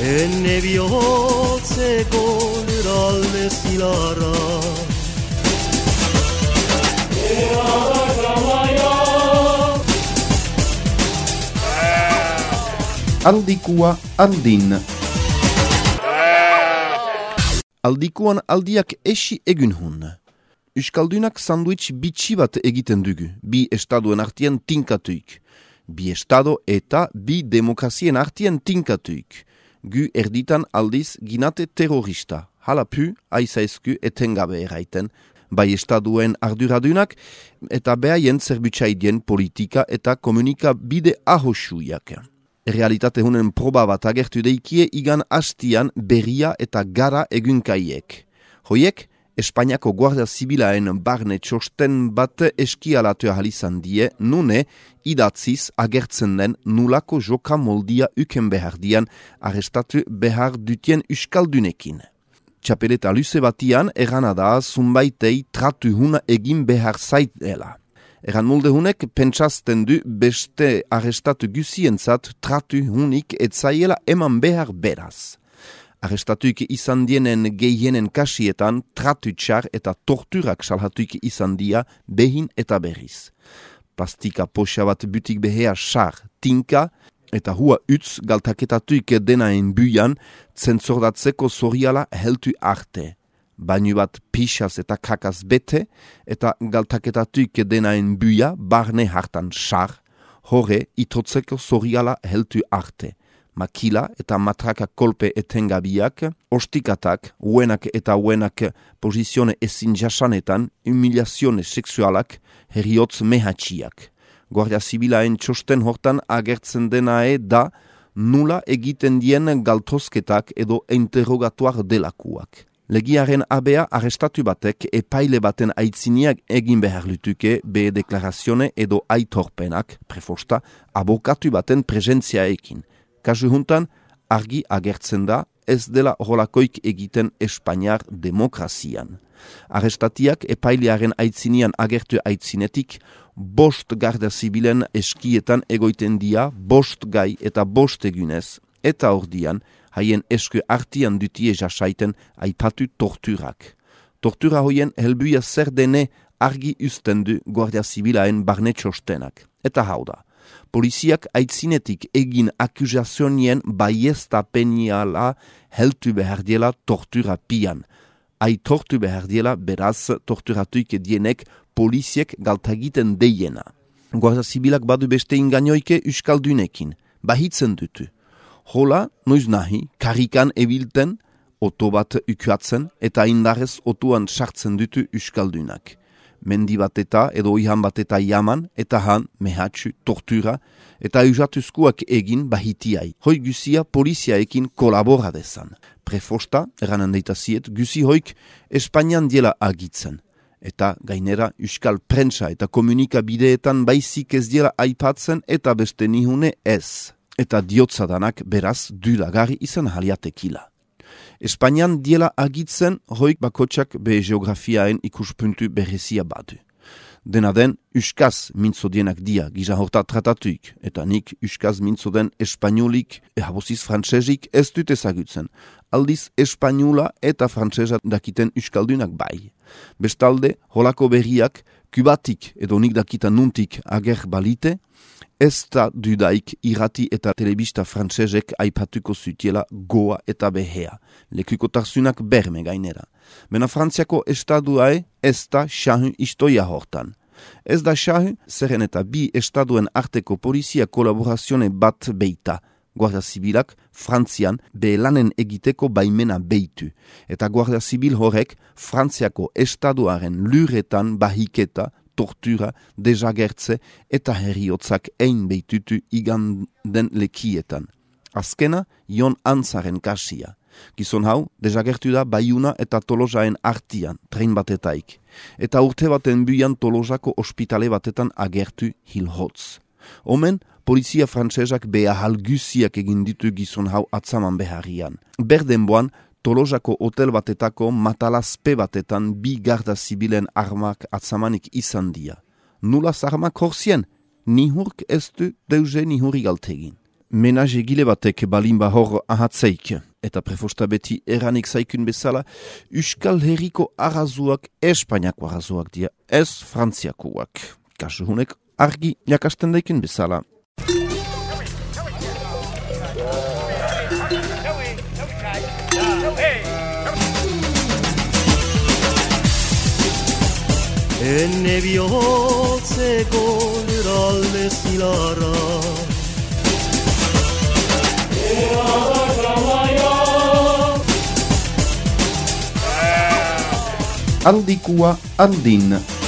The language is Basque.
Enne bihotzeko lurralde zilarra Aldikua aldin. Aldikuan aldiak esi egun hun. Euskaldunak sandwich bitxi bat egiten dugu, bi estaduen artien tinkatuik. Bi estado eta bi demokrazien artien tinkatuik. Gu erditan aldiz ginate terrorista. Hala pu, aizaizku etengabe eraiten, bai estaduen arduradunak eta behaien zerbutsaidien politika eta komunikabide ahosuiak. Realitate hunen proba bat agertu deikie igan hastian berria eta gara egunkaiek. Hoiek, Espainiako Guardia Zibilaen barne txosten bat eskialatu ahalizan die, nune idatziz agertzen den nulako joka moldia uken behar dian arrestatu behar dutien euskaldunekin. Txapeleta luze batian erana da zunbaitei tratu huna egin behar zaitela. Eran molde hunek pentsazten du beste arrestatu guzientzat tratu hunik etzaiela eman behar beraz. Arrestatuik izan dienen gehienen kasietan tratu txar eta torturak salhatuik izan dia behin eta berriz. Plastika poxa bat butik behea xar, tinka eta hua utz galtaketatuik denaen buian zentzordatzeko zoriala heltu arte. Bainu bat pixaz eta kakaz bete eta galtaketatuik denaen buia barne hartan xar, hore itotzeko zoriala heltu arte. Makila eta matraka kolpe etengabiak, ostikatak, uenak eta uenak posizione ezin jasanetan, humiliazione sexualak, heriotz mehatxiak. Guardia Zibilaen txosten hortan agertzen denae da nula egiten dien galtosketak edo interrogatuar delakuak. Legiaren abea arrestatu batek epaile baten aitziniak egin behar lutuke be deklarazione edo aitorpenak, prefosta, abokatu baten presentziaekin. Kasu juntan, argi agertzen da ez dela holakoik egiten Espainiar demokrazian. Arrestatiak epailearen aitzinian agertu aitzinetik, 5 Guardia Zibilen eskietan egoiten dia 5 gai eta 5 egunez, eta ordian haien esku artian dutie jasaiten aipatu torturak. Tortura hoien helbuia zer dene argi usten du Guardia Zibilaen barne txostenak. Eta hau da. Poliziak aitzinetik egin akuzazionien baiestapeniala heltu behar diela tortura pian. Aitortu behar diela beraz torturatuik dienek poliziek galtagiten deiena. Guardia Zibilak badu beste ingainoike euskaldunekin, bahitzen dutu. Hola, noiz nahi, karikan ebilten, oto bat ukuatzen eta indarrez otuan sartzen dutu euskaldunak. Mendi bat eta edo ihan bat eta jaman, eta han, mehatxu, tortura, eta eusatuzkuak egin bahitiai. Hoi guzia poliziaekin kolabora dezan. Prefosta, eranan deitaziet, guzi hoik Espainian diela agitzen. Eta gainera euskal prentsa eta komunikabideetan baizik ez diela aipatzen eta beste nihune ez. Eta diotzadanak beraz dulagarri izan haliatekila. Espainian diela agitzen hoik bakotxak be geografiaen ikuspuntu berezia badu. Dena den, euskaz mintzodienak dia gisa horta tratatuik, eta nik euskaz mintzoden espainolik ehaboziz frantsezik ez dut ezagutzen. Aldiz espainola eta frantsesa dakiten euskaldunak bai. Bestalde, holako berriak kubatik edo nik dakita nuntik ager balite, ez da dudaik irrati eta telebista frantsesek aipatuko zutiela goa eta behea. Lekukotarzunak berme gainera. Mena Frantziako estaduae ez da xahu istoia hortan. Ez da xahu, zeren eta bi estaduen arteko polizia kolaborazione bat beita. Guardia Zibilak Frantzian behelanen egiteko baimena beitu. Eta Guardia Zibil horrek Frantziako estaduaren luretan bahiketa, tortura, desagertze eta herriotzak ein beitutu iganden lekietan. Azkena, Jon Antzaren kasia. Gizon hau, desagertu da Baiuna eta Tolosaen artian, tren batetaik. Eta urte baten buian Tolosako ospitale batetan agertu hilhotz. Omen, polizia frantsesak behahal guziak egin ditu gizon hau atzaman beharrian. Berdenboan, Tolosako hotel batetako matalazpe batetan 2 garda zibilen armak atzamanik izan dia. Nulaz armak horzien, nihurk ez du deuze nihuri galtegin. Menaje gile batek balinba hor ahatzeik, eta prefosta beti eranik zaikun bezala, Euskal Herriko arazuak Espainiako arazuak dia, ez Frantziakoak. Kasu hunek argi jakasten daikin bezala. Enne bihotzeko lurralde zilarra Aldikua aldin.